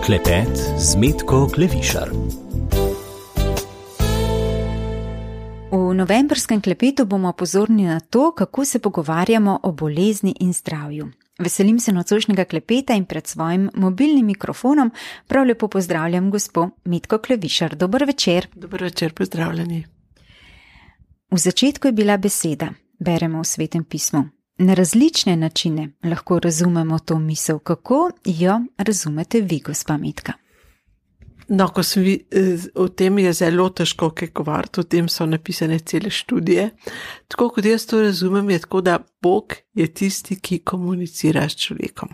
Klepet z Metko Klevišar. V novembrskem klepetu bomo pozorni na to, kako se pogovarjamo o bolezni in zdravju. Veselim se nocojšnjega klepeta in pred svojim mobilnim mikrofonom prav lepo pozdravljam gospo Metko Klevišar. Dober večer. Dober večer, pozdravljeni. V začetku je bila beseda, beremo v Svetem pismu. Na različne načine lahko razumemo to misel. Kako jo razumete vi, gospa Metka? No, ko sem o tem je zelo težko kaj govoriti, o tem so napisane cele študije. Tako kot jaz to razumem, je tako, da Bog je tisti, ki komunicira s človekom.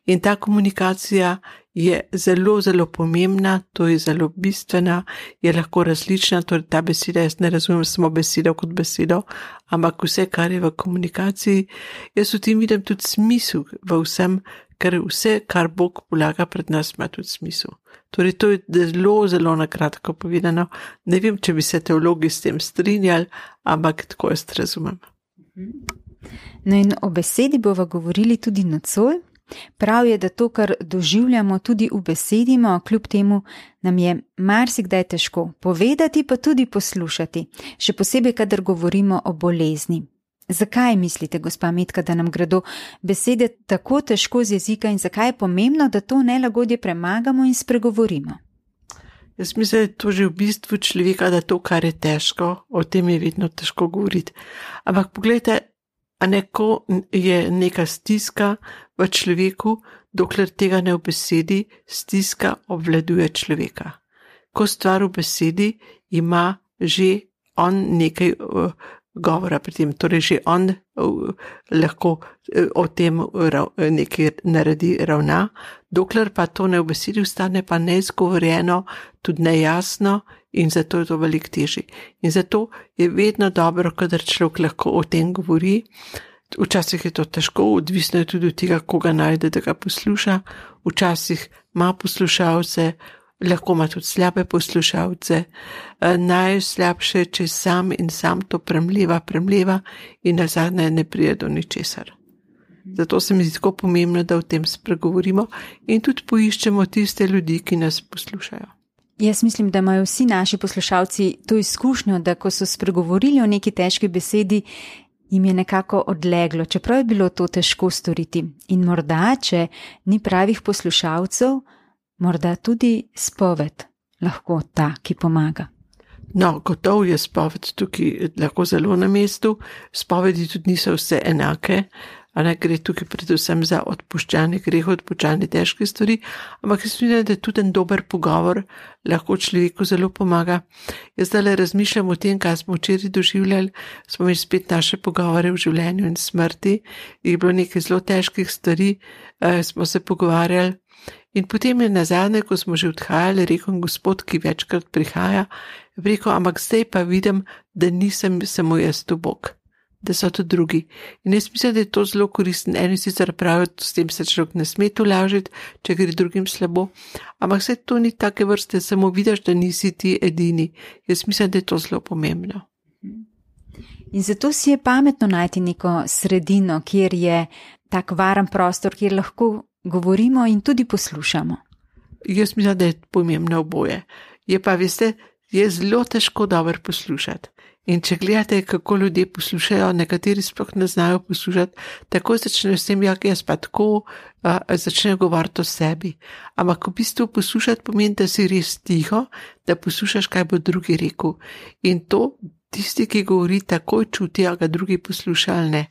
In ta komunikacija je zelo, zelo pomembna, to je zelo bistvena, je lahko različna, torej ta beseda, jaz ne razumem samo besedo kot besedo, ampak vse, kar je v komunikaciji, jaz v tem vidim tudi smisel v vsem, ker vse, kar Bog polaga pred nas, ima tudi smisel. Torej, to je zelo, zelo nakratko povedano. Ne vem, če bi se teologi s tem strinjali, ampak tako jaz razumem. No in o besedi bova govorili tudi nocoj. Prav je, da to, kar doživljamo, tudi ubesedimo, kljub temu nam je marsikdaj težko povedati, pa tudi poslušati, še posebej, kadar govorimo o bolezni. Zakaj mislite, gospa Metka, da nam gredo besede tako težko z jezika in zakaj je pomembno, da to nelagodje premagamo in spregovorimo? Jaz mislim, da je to že v bistvu človeka, da to, kar je težko, o tem je vedno težko govoriti. Ampak pogledajte, a neko je neka stiska v človeku, dokler tega ne v besedi, stiska obvladuje človeka. Ko stvar v besedi, ima že on nekaj govora pri tem, torej že on lahko o tem nekaj naredi, ravna, dokler pa to ne v besedi ostane pa neizgovorjeno, tudi nejasno in zato je to veliko težje. In zato je vedno dobro, kadar človek lahko o tem govori. Včasih je to težko, odvisno je tudi od tega, koga najde, da ga posluša. Včasih ima poslušalce, lahko ima tudi slabe poslušalce. Najslabše, če sam in sam to premleva in nazadnje ne pride do ničesar. Zato se mi zdi tako pomembno, da o tem spregovorimo in tudi poiščemo tiste ljudi, ki nas poslušajo. Jaz mislim, da imajo vsi naši poslušalci to izkušnjo, da ko so spregovorili o neki težki besedi, jim je nekako odleglo, čeprav je bilo to težko storiti. In morda, če ni pravih poslušalcev, morda tudi spoved lahko ta, ki pomaga. No, gotovo je spoved tukaj lahko zelo na mestu, spovedi tudi niso vse enake, a ne gre tukaj predvsem za odpuščanje grehov, odpuščanje težke stvari, ampak jaz mislim, da je tudi en dober pogovor lahko človeku zelo pomaga. Jaz zdaj razmišljam o tem, kaj smo včeraj doživljali, smo imeli spet naše pogovore v življenju in smrti, je bilo nekaj zelo težkih stvari, smo se pogovarjali in potem je nazadnje, ko smo že odhajali, rekel Gospod, ki večkrat prihaja, rekel, ampak zdaj pa vidim, da nisem samo jaz tu Bog, da so to drugi. In jaz mislim, da je to zelo koristen. Eni sicer pravijo, s tem se človek ne sme tolažiti, če gre drugim slabo, ampak se to ni take vrste, samo vidiš, da nisi ti edini. Jaz mislim, da je to zelo pomembno. In zato si je pametno najti neko sredino, kjer je tak varen prostor, kjer lahko govorimo in tudi poslušamo. Jaz mislim, da je pomembno oboje. Je pa, veste, je zelo težko dobro poslušati. In če gledate, kako ljudje poslušajo, nekateri sploh ne znajo poslušati, tako začnejo s tem, jaz pa tako, začnejo govoriti o sebi. Ampak v bistvu poslušati pomeni, da si res tiho, da poslušaš, kaj bo drugi rekel. In to tisti, ki govori, takoj čuti, a ga drugi posluša ali ne.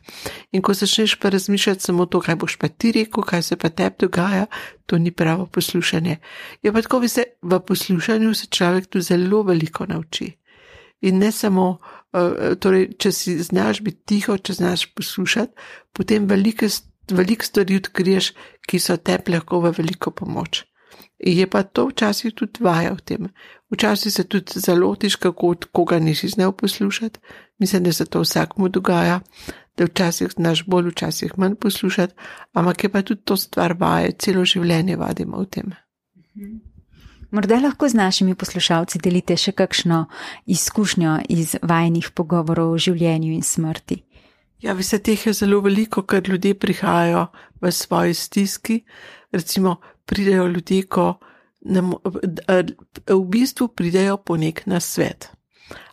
In ko začneš pa razmišljati samo to, kaj boš pa ti rekel, kaj se pa tebi dogaja, to ni pravo poslušanje. Je pa tako, v poslušanju se človek tu zelo veliko nauči. In ne samo, torej, če si znaš biti tiho, če znaš poslušati, potem veliko stvari odkriješ, ki so tebi lahko v veliko pomoč. In je pa to včasih tudi vaja v tem. Včasih se tudi zalotiš, kako koga nisi znal poslušati. Mislim, da se to vsakmu dogaja, da včasih znaš bolj, včasih manj poslušati, ampak je pa tudi to stvar vaje, celo življenje vadimo v tem. Morda lahko z našimi poslušalci delite še kakšno izkušnjo iz vajinih pogovorov o življenju in smrti. Ja, veste, teh je zelo veliko, ker ljudje prihajajo v svoji stiski. Recimo, pridejo ljudje, v bistvu pridejo po nek nasvet.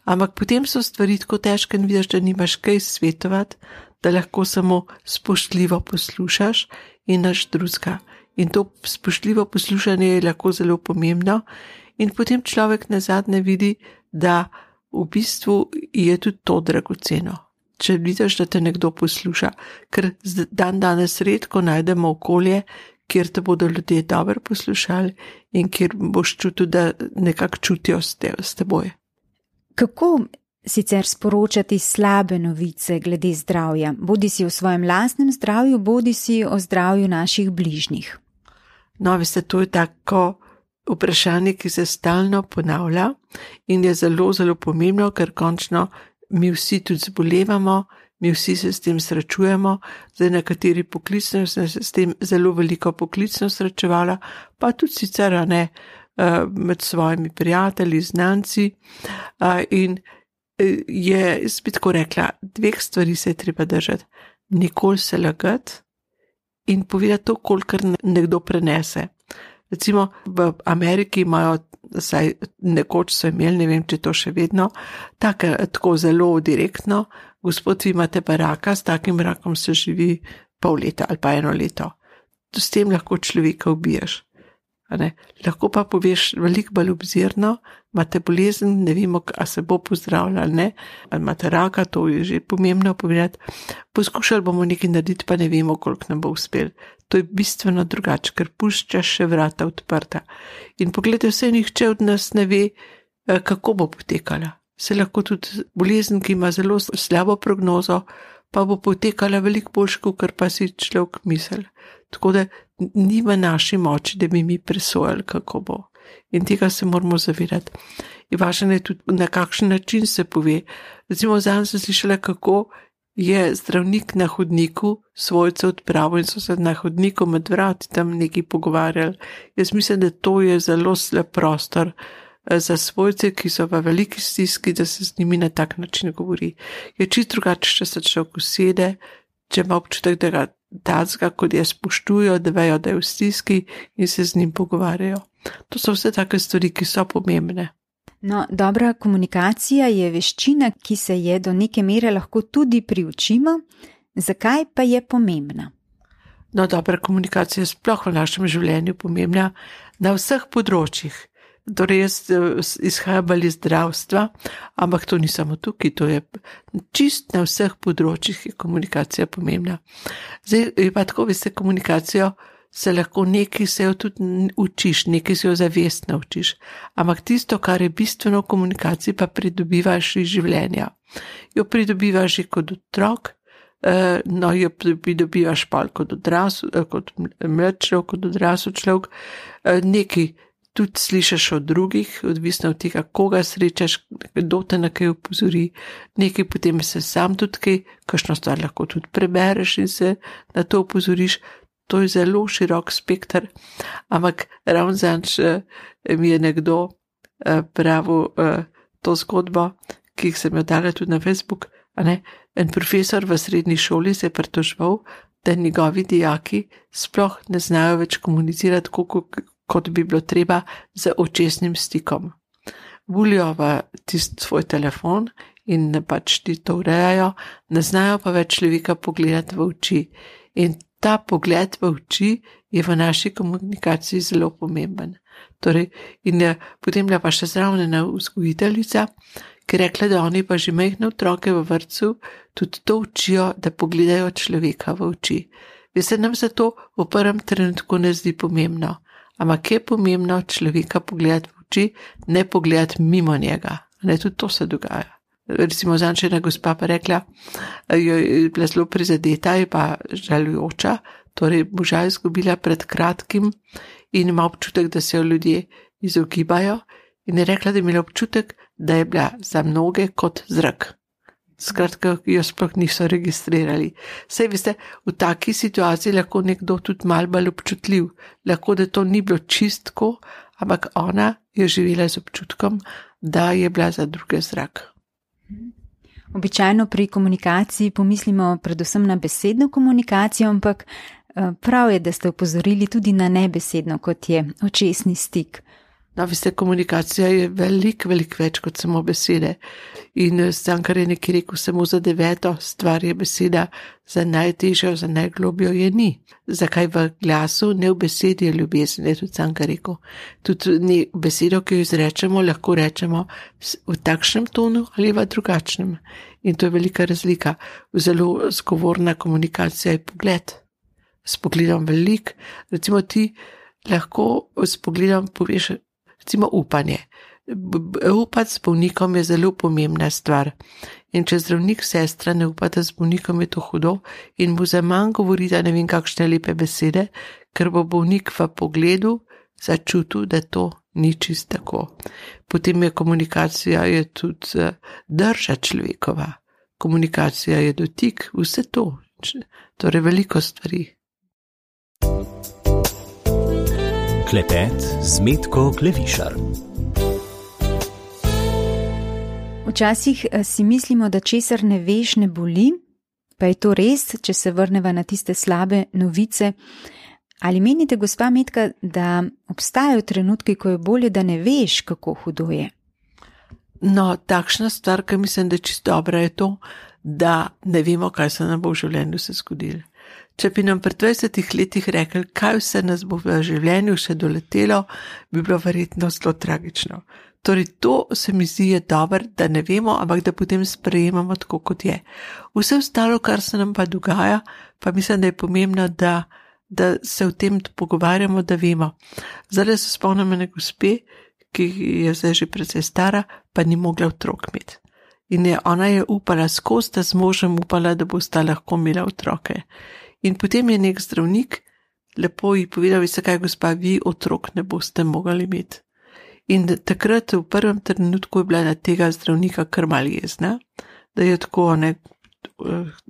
Ampak potem so stvari tako težke in vidiš, da nimaš kaj svetovati, da lahko samo spoštljivo poslušaš in nič drugega. In to spoštljivo poslušanje je lahko zelo pomembno in potem človek nazadnje vidi, da v bistvu je tudi to dragoceno. Če vidiš, da te nekdo posluša, ker danes redko najdemo okolje, kjer te bodo ljudje dobro poslušali in kjer boš čutil, da nekako čutijo s teboj. Kako sicer sporočati slabe novice glede zdravja, bodi si o svojem lastnem zdravju, bodi si o zdravju naših bližnjih? No, veste, to je tako vprašanje, ki se stalno ponavlja in je zelo, zelo pomembno, ker končno mi vsi tudi zbolevamo, mi vsi se s tem srečujemo, zdaj nekateri poklicno se s tem zelo veliko poklicno srečevala, pa tudi sicer ne med svojimi prijatelji, znanci in jaz bi tako rekla, dveh stvari se je treba držati. Nikoli se lagati in povedati to, kolikor nekdo prenese. Recimo v Ameriki imajo, saj nekoč so imeli, ne vem, če to še vedno, tako zelo direktno, gospod, vi imate pa raka, s takim rakom se živi pol leta ali pa 1 leto. S tem lahko človeka ubiješ. Lahko pa poveš veliko bolj obzirno, imate bolezen, ne vemo, a se bo pozdravljala ali ne, ali imate raka, to je že pomembno povedati. Poskušali bomo nekaj narediti, pa ne vemo, koliko nam bo uspel. To je bistveno drugače, ker puščaš še vrata odprta. In pogledaj, vse nihče od nas ne ve, kako bo potekala. Se lahko tudi bolezen, ki ima zelo slabo prognozo, pa bo potekala veliko boljše, kot pa si človek misel. Tako da ni v naši moči, da bi mi presojali, kako bo. In tega se moramo zavedati. In važno je tudi, na kakšen način se pove. Recimo, zadnj sem slišala, kako je zdravnik na hodniku svojce odpravil in so se na hodniku med vrati tam nekaj pogovarjali. Jaz mislim, da to je zelo slab prostor za svojce, ki so v veliki stiski, da se z njimi na tak način govori. Je čisto drugače, če se človek usede, če ima občutek, da ga tacga, kot je spoštujo, da vejo, da je v stiski in se z njim pogovarjajo. To so vse take stvari, ki so pomembne. No, dobra komunikacija je veščina, ki se je do neke mere lahko tudi priučimo. Zakaj pa je pomembna? No, dobra komunikacija je sploh v našem življenju pomembna na vseh področjih. Torej, jaz izhajam iz zdravstva, ampak to ni samo tukaj, to je čist na vseh področjih je komunikacija pomembna. Zdaj je pa tako, veste, komunikacijo se lahko nekaj se jo tudi učiš, nekaj se jo zavestno učiš, ampak tisto, kar je bistveno v komunikaciji, pa pridobivaš iz življenja. Jo pridobivaš že kot otrok, no, jo pridobivaš pa kot mlad človek, kot odrasel človek, nekaj tudi slišiš od drugih, odvisno od tega, koga srečaš, kdo te na kaj opozori, nekaj potem se sam tudi kaj, kakšno stvar lahko tudi prebereš in se na to opozoriš. To je zelo širok spekter, ampak ravno zadnjič mi je nekdo pravil to zgodbo, ki sem jo dala tudi na Facebook, en profesor v srednji šoli se je pritoževal, da njegovi dijaki sploh ne znajo več komunicirati, kot bi bilo treba z očesnim stikom. Vulijo v tisti svoj telefon in pač ti to urejajo, ne znajo pa več človeka pogledati v oči. In ta pogled v oči je v naši komunikaciji zelo pomemben. Torej, in potem je pa še zraven ena vzgojiteljica, ki je rekla, da oni pa že majhne otroke v vrtcu tudi to učijo, da pogledajo človeka v oči. Veste, nam se to v prvem trenutku ne zdi pomembno, ampak je pomembno človeka pogledati v oči, ne pogledati mimo njega. Tudi to se dogaja. Recimo, zadnjič ena gospa pa rekla, je bila zelo prizadeta, je pa žalujoča, torej moža je izgubila pred kratkim in ima občutek, da se jo ljudje izogibajo in je rekla, da je imela občutek, da je bila za mnoge kot zrak. Skratka, jo sploh niso registrirali. Saj veste, v taki situaciji lahko nekdo tudi malo bolj občutljiv, lahko da to ni bilo čistko, ampak ona je živela z občutkom, da je bila za druge zrak. Običajno pri komunikaciji pomislimo predvsem na besedno komunikacijo, ampak prav je, da ste opozorili tudi na nebesedno, kot je očesni stik. No, veste, komunikacija je veliko več kot samo besede. In Cankar je nekaj rekel, samo za 9. stvar je beseda, za najtežjo, za najglobjo je ni. Zakaj v glasu, ne v besedi je ljubezen, je tudi Cankar rekel. Tudi besedo, ki jo izrečemo, lahko rečemo v takšnem tonu ali v drugačnem. In to je velika razlika. Zelo zgovorna komunikacija je pogled. S pogledom velik, recimo ti lahko s pogledom poveš, recimo upanje. Upati s bolnikom je zelo pomembna stvar. In če zdravnik sestra ne upata s bolnikom, je to hudo in mu za manj govori, da ne vem kakšne lepe besede, ker bo bolnik v pogledu začutil, da to ni čist tako. Potem je komunikacija je tudi drža človekova. Komunikacija je dotik, vse to. Torej veliko stvari. Klepet z Metko Klevišar. Včasih si mislimo, da česar ne veš, ne boli, pa je to res, če se vrneva na tiste slabe novice. Ali menite, gospa Metka, da obstajajo trenutki, ko je bolje, da ne veš, kako hudo je? No, takšna stvar, ki mislim, da je čisto dobra, je to, da ne vemo, kaj se nam bo v življenju se zgodilo. Če bi nam pred 20 letih rekli, kaj vse nas bo v življenju še doletelo, bi bilo verjetno zelo tragično. Torej, to se mi zdi je dobro, da ne vemo, ampak da potem sprejemamo tako, kot je. Vse ostalo, kar se nam pa dogaja, pa mislim, da je pomembno, da se o tem pogovarjamo, da vemo. Zdaj se spomnim ene gospe, ki je zdaj že precej stara, pa ni mogla otrok imeti. In ona je upala skozi, da z možem upala, da bosta lahko imela otroke. In potem je nek zdravnik lepo ji povedal, veste kaj, gospa, vi otrok ne boste mogli imeti. In takrat v prvem trenutku je bila na tega zdravnika kar malo jezna, da je tako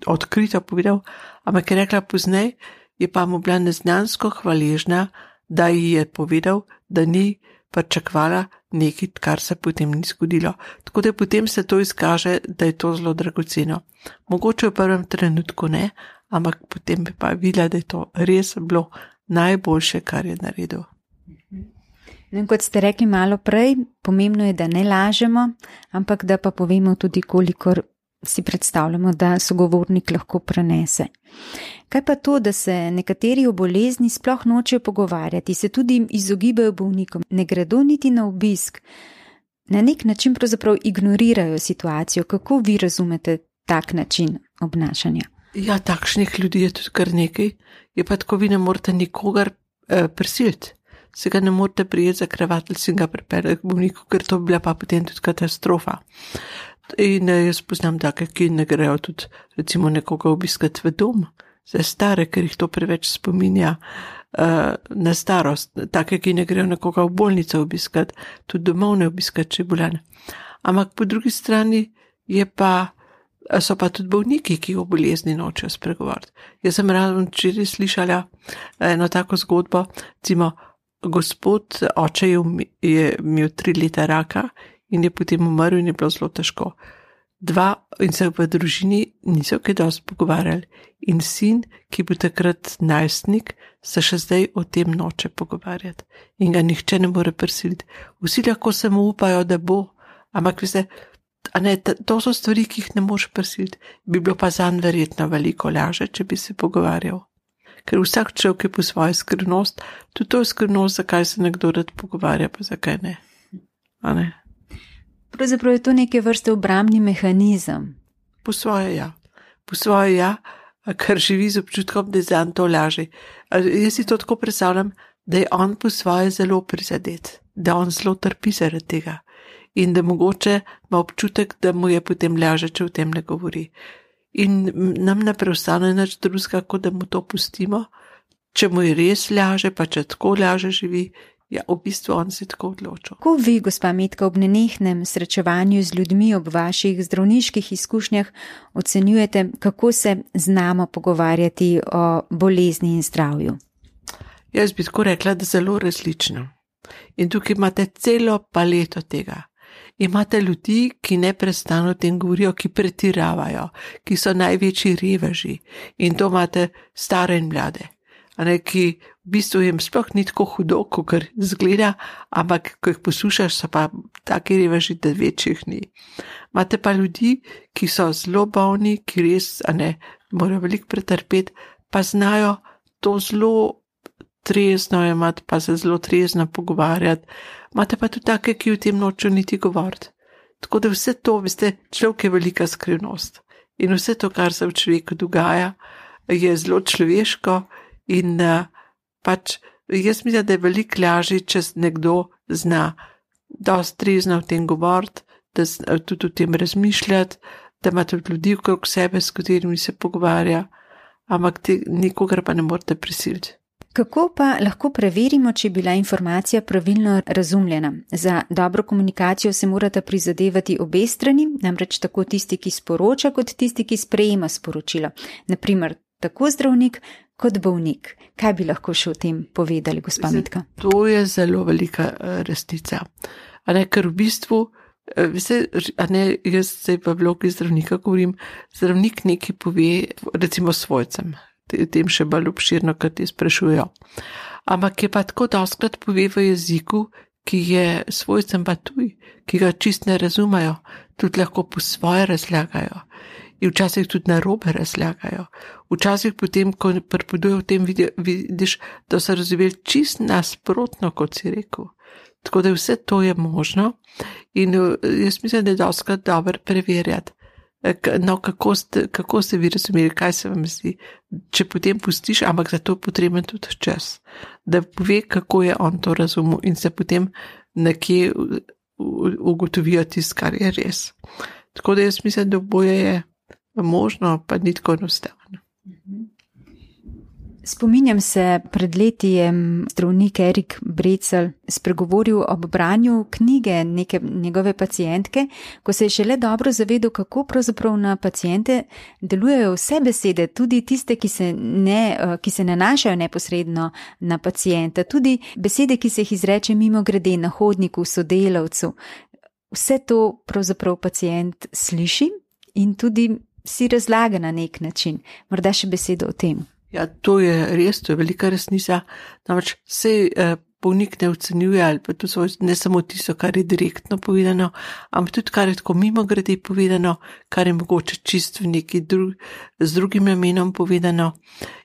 odkrito povedal, ampak je rekla poznej, je pa mu bila neznansko hvaležna, da ji je povedal, da ni pričakovala nekaj, kar se potem ni zgodilo. Tako da potem se to izkaže, da je to zelo dragoceno. Mogoče v prvem trenutku ne, ampak potem bi pa videla, da je to res bilo najboljše, kar je naredil. No, kot ste rekli malo prej, pomembno je, da ne lažemo, ampak da pa povemo tudi, kolikor si predstavljamo, da sogovornik lahko prenese. Kaj pa to, da se nekateri o bolezni sploh nočejo pogovarjati, se tudi izogibajo bolnikom, ne gredo niti na obisk, na nek način pravzaprav ignorirajo situacijo. Kako vi razumete tak način obnašanja? Ja, takšnih ljudi je tudi kar nekaj, je pa tako, vi ne morete nikogar prisiliti. Se ga ne morete prijeti za kravatelj in ga pripeljati k bolniku, ker to bi bila pa potem tudi katastrofa. In jaz poznam take, ki ne grejo tudi recimo nekoga obiskati v dom za stare, ker jih to preveč spominja na starost. Take, ki ne grejo nekoga v bolnico obiskati, tudi domov ne obiskati, če je bolan. Ampak po drugi strani so pa tudi bolniki, ki o bolezni nočejo spregovoriti. Jaz sem ravno včeraj slišala eno tako zgodbo, recimo, gospod oče je imel 3 leta raka in je potem umrl in je bilo zelo težko. In se v družini niso kaj dosti pogovarjali. In sin, ki bil takrat najstnik, se še zdaj o tem noče pogovarjati. In ga nihče ne more prisiliti. Vsi lahko samo upajo, da bo, ampak veste, to so stvari, ki jih ne moreš prisiliti. Bi bilo pa zanj verjetno veliko lažje, če bi se pogovarjal. Ker vsak človek je po svojo skrivnost, tudi to je skrivnost, zakaj se nekdo rad pogovarja, pa zakaj ne. A ne? Pravzaprav je to neke vrste obrambni mehanizem. Po svoje ja, ker živi z občutkom, da je zanj to lažje. Jaz si to tako predstavljam, da je on po svoje zelo prizadet, da on zelo trpi zaradi tega in da mogoče ima občutek, da mu je potem lažje, če o tem ne govori. In nam ne preostane nič drugega, kot da mu to pustimo, če mu je res laže, pa če tako laže živi, ja, v bistvu on si tako odločil. Kako vi, gospa Metka, ob nenehnem srečevanju z ljudmi ob vaših zdravniških izkušnjah ocenjujete, kako se znamo pogovarjati o bolezni in zdravju? Jaz bi tako rekla, da zelo različno. In tukaj imate celo paleto tega. Imate ljudi, ki neprestano o tem govorijo, ki pretiravajo, ki so največji reveži. In to imate stare in mlade. ki v bistvu jim sploh ni tako hudo, kot zgleda, ampak ko jih poslušaš, so pa taki reveži, da večjih ni. Imate pa ljudi, ki so zelo bolni, ki res, morajo veliko pretrpeti, pa znajo to zelo trezno imati, pa se zelo trezno pogovarjati. Imate pa tudi take, ki v tem nočejo niti govoriti. Tako da vse to, veste, človek je velika skrivnost. In vse to, kar se v človeku dogaja, je zelo človeško in pač jaz mislim, da je veliko lažje, če nekdo zna dosti trezno v tem govoriti, da tudi o tem razmišljati, da ima tudi ljudi okrog sebe, s katerimi se pogovarja, ampak nikogar pa ne morete prisiliti. Kako pa lahko preverimo, če je bila informacija pravilno razumljena? Za dobro komunikacijo se morata prizadevati obe strani, namreč tako tisti, ki sporoča, kot tisti, ki sprejema sporočilo. Naprimer, tako zdravnik kot bolnik. Kaj bi lahko še o tem povedali, gospa Metka? To je zelo velika resnica. Ker v bistvu, jaz se v vlogi zdravnika govorim, zdravnik nekaj pove, recimo svojcem. Tem še bolj obširno, kar ti sprašujejo. Ampak je pa tako dostkrat pove v jeziku, ki je svojcem pa tuj, ki ga čist ne razumejo, tudi lahko po svoje razlagajo. In včasih tudi narobe razlagajo. Včasih potem, ko pripovedujejo o tem, vidiš, da so razumeli čist nasprotno, kot si rekel. Tako da vse to je možno in jaz mislim, da je dostkrat dobro preverjati. No, kako ste vi razumeli, kaj se vam zdi, če potem pustiš, ampak za to potreben tudi čas, da pove, kako je on to razumel in se potem nekje ugotovijo tisto, kar je res. Tako da jaz mislim, da oboje je možno, pa ni tako enostavno. Spominjam se, pred leti je zdravnik Erik Brecelj spregovoril ob branju knjige neke njegove pacientke, ko se je šele dobro zavedel, kako pravzaprav na paciente delujejo vse besede, tudi tiste, ki se nanašajo neposredno na pacienta, tudi besede, ki se jih izreče mimo grede na hodniku, sodelavcu. Vse to pravzaprav pacient sliši in tudi si razlaga na nek način. Morda še besedo o tem. Ja, to je res, to je velika resnica. Namreč se bolnik ne ocenjuje ali pa to ne samo tisto, kar je direktno povedano, ampak tudi kar je tako mimo grede povedano, kar je mogoče čist v neki z drugim namenom povedano.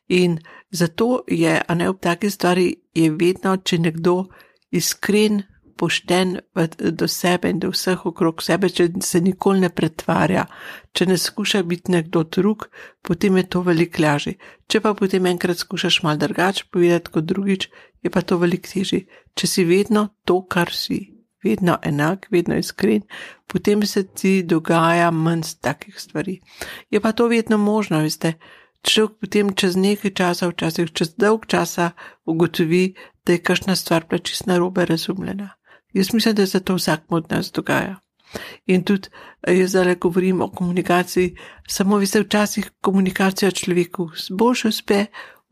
In zato je, ob taki stvari je vedno, če nekdo iskren, pošten do sebe in do vseh okrog sebe, če se nikoli ne pretvarja, če ne skuša biti nekdo drug, potem je to veliko lažje. Če pa potem enkrat skušaš malo drugače povedati kot drugič, je pa to veliko težje. Če si vedno to, kar si, vedno enak, vedno iskren, potem se ti dogaja manj takih stvari. Je pa to vedno možno, veste. Človek potem čez nekaj časa, včasih čez dolg časa ugotovi, da je kakšna stvar bila čisto narobe razumljena. Jaz mislim, da se to vsakmu od nas dogaja. In tudi jaz zdaj govorim o komunikaciji, samo veste, včasih komunikacija človeku boljše uspe,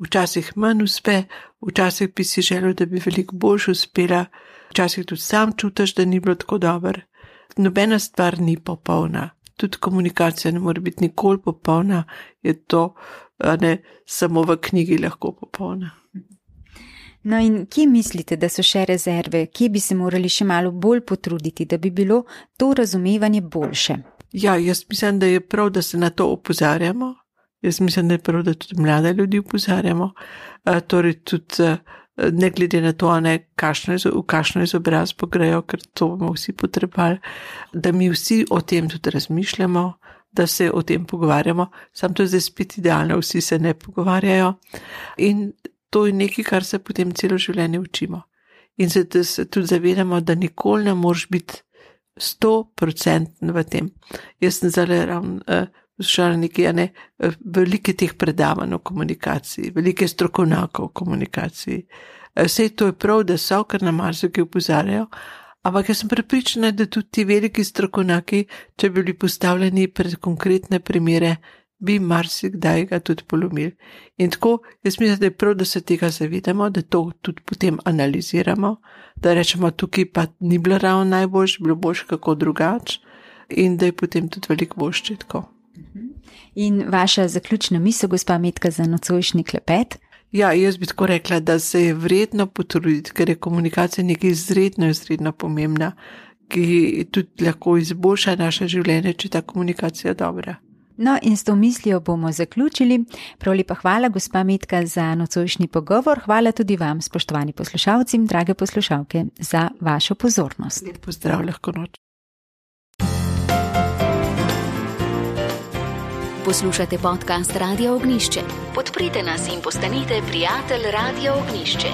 včasih manj uspe, včasih bi si želel, da bi veliko boljše uspela, včasih tudi sam čutiš, da ni bilo tako dobro. Nobena stvar ni popolna. Tudi komunikacija ne more biti nikoli popolna, je to samo v knjigi lahko popolna. No in kje mislite, da so še rezerve, kje bi se morali še malo bolj potruditi, da bi bilo to razumevanje boljše? Ja, jaz mislim, da je prav, da se na to opozarjamo. Jaz mislim, da je prav, da tudi mlade ljudi opozarjamo. Torej tudi ne glede na to, v kakšno izobrazbo grejo, ker to bomo vsi potrebali, da mi vsi o tem tudi razmišljamo, da se o tem pogovarjamo. Sam to je zdaj spet idealno, vsi se ne pogovarjajo. In to je nekaj, kar se potem celo življenje učimo. In se tudi zavedamo, da nikoli ne moreš biti 100% v tem. Jaz sem zdaj poslušala nekaj, velike teh predavanj o komunikaciji, velike strokovnjakov o komunikaciji. Vse to je prav, da so, ker na marsikaj opozarjajo, ampak jaz sem prepričana, da tudi ti veliki strokovnjaki, če bi bili postavljeni pred konkretne primere, bi marsikdaj ga tudi polomili. In tako, jaz mislim, da je prav, da se tega zavedamo, da to tudi potem analiziramo, da rečemo, tukaj pa ni bilo ravno najboljše, bilo boljše kako drugače in da je potem tudi veliko boljše tako. In vaša zaključna misel, gospa Metka, za nocojšnji klepet? Ja, jaz bi tako rekla, da se je vredno potruditi, ker je komunikacija nekaj izredno pomembna, ki tudi lahko izboljša naše življenje, če ta komunikacija je dobra. No, in s to mislijo bomo zaključili. Prav lepa hvala, gospa Metka, za nocojšnji pogovor. Hvala tudi vam, spoštovani poslušalci, drage poslušalke, za vašo pozornost. Lep pozdrav, lahko noč. Poslušate podcast Radio Ognjišče. Podprite nas in postanite prijatelj Radio Ognjišče.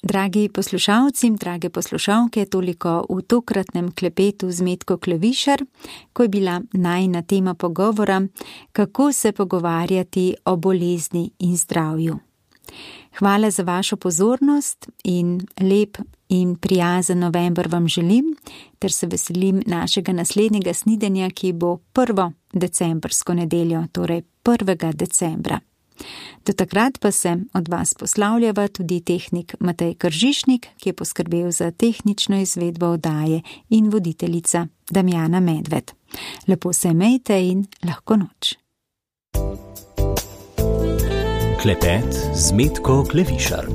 Dragi poslušalci, drage poslušalke, toliko v tokratnem klepetu z Metko Klevišar, ko je bila najina tema pogovora, kako se pogovarjati o bolezni in zdravju. Hvala za vašo pozornost in lep in prijazen november vam želim, ter se veselim našega naslednjega snidenja, ki bo 1. decembrsko nedeljo, torej 1. decembra. Do takrat pa se od vas poslavljava tudi tehnik Matej Kržišnik, ki je poskrbel za tehnično izvedbo oddaje, in voditeljica Damjana Medved. Lepo se imejte in lahko noč. Klepet z Metko Klevišar.